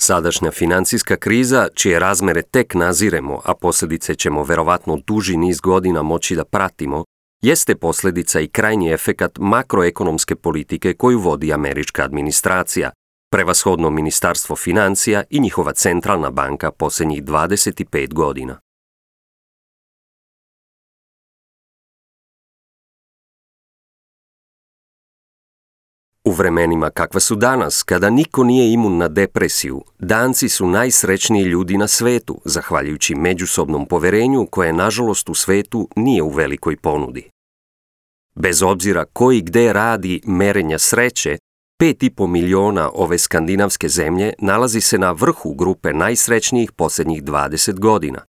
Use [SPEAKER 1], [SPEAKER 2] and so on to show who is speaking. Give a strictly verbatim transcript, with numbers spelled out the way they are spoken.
[SPEAKER 1] Sadašnja financijska kriza, čije razmere tek naziremo, a posljedice ćemo verovatno duži niz godina moći da pratimo, jeste posljedica i krajnji efekat makroekonomske politike koju vodi američka administracija, prevashodno Ministarstvo financija i njihova centralna banka posljednjih dvadeset pet godina. U vremenima kakva su danas, kada niko nije imun na depresiju, Danci su najsrećniji ljudi na svetu, zahvaljujući međusobnom poverenju koje, nažalost, u svetu nije u velikoj ponudi. Bez obzira ko i gde radi merenja sreće, pet i po miliona ove skandinavske zemlje nalazi se na vrhu grupe najsrećnijih posljednjih dvadeset godina.